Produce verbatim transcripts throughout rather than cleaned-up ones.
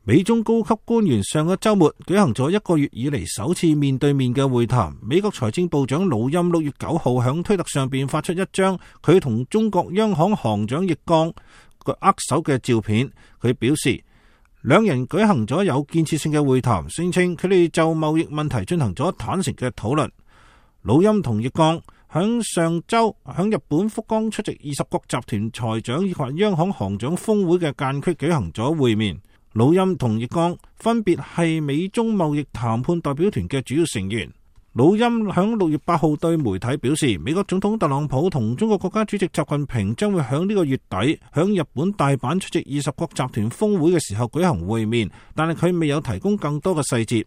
美中高級官員上個週末舉行咗一個月以嚟首次面對面嘅會談。美國財政部長魯欽六月九號響推特上邊發出一張佢同中國央行行長易綱握手嘅照片。佢表示兩人舉行咗有建設性嘅會談，聲稱佢哋就貿易問題進行咗坦誠嘅討論。魯欽同易綱響上週響日本福岡出席二十國集團財長以及央行行長峰會嘅間隙舉行咗會面。魯欽同易綱分別係美中貿易談判代表團嘅主要成員。魯欽響六月八號對媒體表示，美國總統特朗普同中國國家主席習近平將會響呢個月底響日本大阪出席二十國集團峰會嘅時候舉行會面，但係佢未有提供更多嘅細節。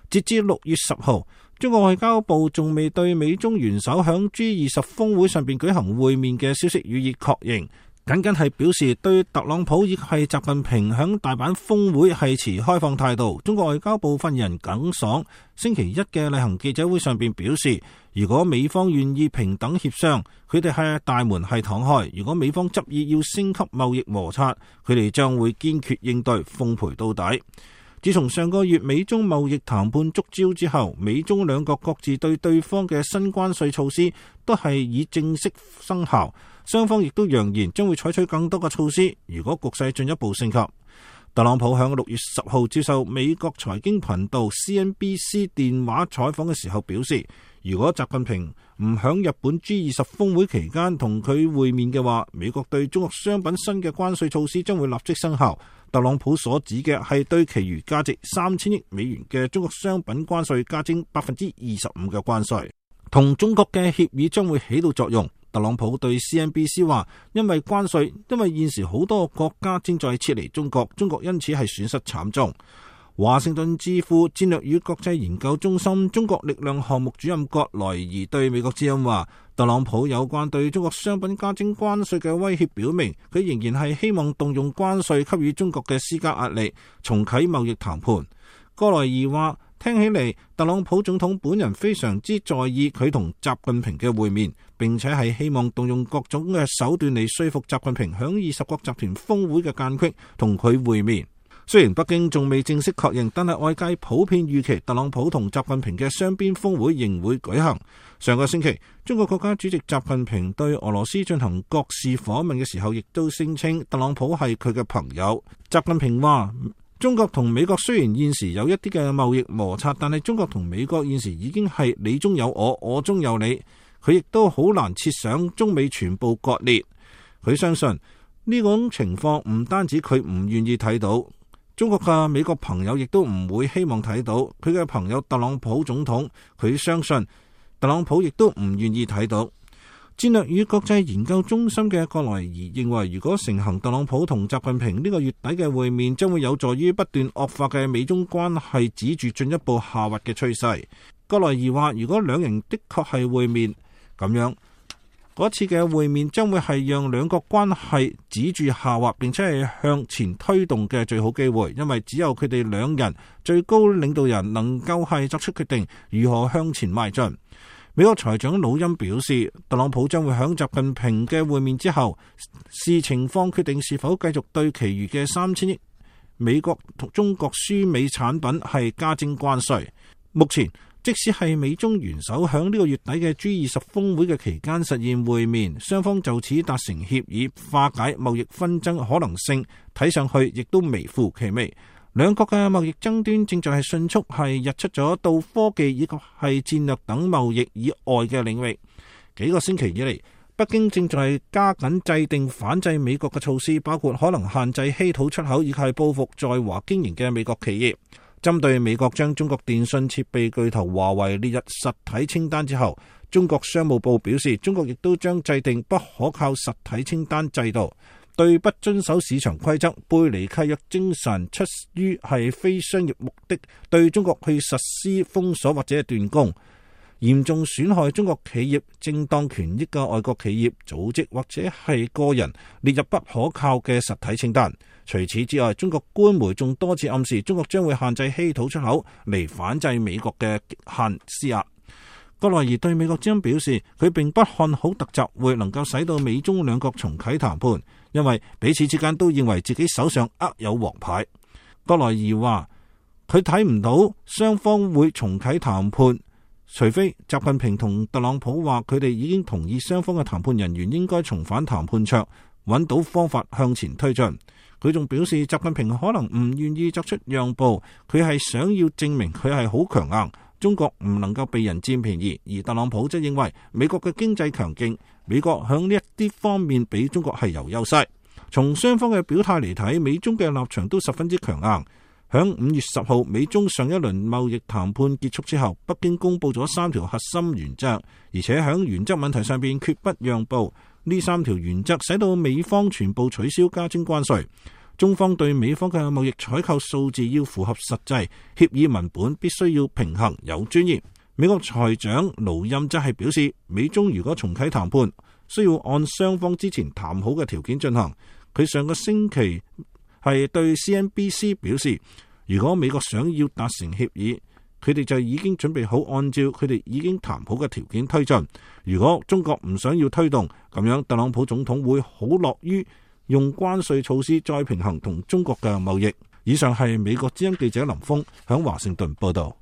截至六月十號，中國外交部仲未對美中元首響 G 二十峰會上邊舉行會面嘅消息予以確認。僅僅係表示對特朗普以及係習近平響大阪峰會係持開放態度。中國外交部發言人耿爽星期一嘅例行記者會上邊表示，如果美方願意平等協商，佢哋係大門係敞開；如果美方執意要升級貿易摩擦，佢哋將會堅決應對，奉陪到底。自從上個月美中貿易談判觸礁之後，美中兩國各自對對方嘅新關稅措施都係已正式生效，雙方亦都揚言將會採取更多嘅措施，如果局勢進一步升級。特朗普響六月十號接受美國財經頻道 C N B C 電話採訪嘅時候表示，如果習近平唔響日本 G 二十峰會期間同佢會面嘅話，美國對中國商品新嘅關稅措施將會立即生效。特朗普所指嘅係對其餘價值三千億美元嘅中國商品關稅加徵百分之二十五嘅關稅，同中國嘅協議將會起到作用。特朗普對 C N B C 話，因為關稅，因為現時好多國家正在撤離中國，中國因此係損失慘重。華盛頓智庫戰略與國際研究中心中國力量項目主任葛萊儀對美國之音話，特朗普有關對中國商品加徵關稅嘅威脅表明，佢仍然係希望動用關稅給予中國嘅施加壓力，重啟貿易談判。葛萊儀話，聽起嚟特朗普總統本人非常之在意佢同習近平嘅會面，並且係希望動用各種嘅手段嚟說服習近平響二十國集團峰會嘅間隙同佢會面。雖然北京仲未正式確認，但係外界普遍預期特朗普同習近平嘅雙邊峰會仍會舉行。上個星期，中國國家主席習近平對俄羅斯進行國事訪問嘅時候，亦都聲稱特朗普係佢嘅朋友。習近平話，中國同美國雖然現時有一啲嘅貿易摩擦，但係中國同美國現時已經係你中有我，我中有你。佢亦都好難設想中美全部割裂。佢相信呢種情況唔單止佢唔願意睇到，中國嘅美國朋友亦都唔會希望睇到。佢嘅朋友特朗普總統，佢相信特朗普亦都唔願意睇到。戰略與國際研究中心嘅葛萊儀認為，如果成行特朗普同習近平呢個月底嘅會面，將會有助於不斷惡化嘅美中關係止住進一步下滑嘅趨勢。葛萊儀話，如果兩人的確係會面，咁樣嗰次嘅會面將會係讓兩國關係止住下滑，並且係向前推動嘅最好機會，因為只有佢哋兩人最高領導人能夠係作出決定如何向前邁進。美國財長魯欽表示，特朗普將會響習近平嘅會面之後視情況決定是否繼續對其餘嘅三千億美國同中國輸美產品係加徵關稅。目前即使係美中元首響呢個月底嘅 G 二十峰會嘅期間實現會面，雙方就此達成協議化解貿易紛爭可能性，睇上去亦都微乎其微。兩國嘅貿易爭端正在係迅速係溢出咗到科技以及係戰略等貿易以外嘅領域。幾個星期以嚟，北京正在加緊制定反制美國嘅措施，包括可能限制稀土出口以及係報復在華經營嘅美國企業。針對美國將中國電信設備巨頭華為列入實體清單之後，中國商務部表示，中國亦都將制定不可靠實體清單制度，對不遵守市場規則、背離契約精神、出於係非商業目的對中國去實施封鎖或者係斷供，嚴重損害中國企業正當權益嘅外國企業、組織或者係個人列入不可靠嘅實體清單。除此之外，中國官媒仲多次暗示中國將會限制稀土出口嚟反制美國嘅極限施壓。葛萊儀對美國之音表示，佢並不看好特習會能夠使到美中兩國重啟談判，因為彼此之間都認為自己手上握有王牌。葛萊儀話佢睇唔到雙方會重啟談判，除非習近平同特朗普話佢哋已經同意雙方嘅談判人員應該重返談判桌，揾到方法向前推進。佢仲表示習近平可能唔願意作出讓步，佢係想要證明佢係好強硬，中國唔能夠被人佔便宜。而特朗普則認為美國嘅經濟強勁，美國響呢一啲方面比中國係有優勢。從雙方嘅表態嚟睇，美中嘅立場都十分之強硬。響五月十號，美中上一輪貿易談判結束之後，北京公布咗三條核心原則，而且響原則問題上邊決不讓步。呢三條原則使到美方全部取消加徵關稅，中方對美方嘅貿易採購數字要符合實際，協議文本必須要平衡有尊嚴。美國財長盧欽則係表示，美中如果重啟談判，需要按雙方之前談好嘅條件進行。佢上個星期係對 C N B C 表示，如果美國想要達成協議，佢哋就已經準備好按照佢哋已經談好嘅條件推進。如果中國唔想要推動，咁樣特朗普總統會好樂於用關稅措施再平衡同中國嘅貿易。以上係美國之音記者林峰響華盛頓報道。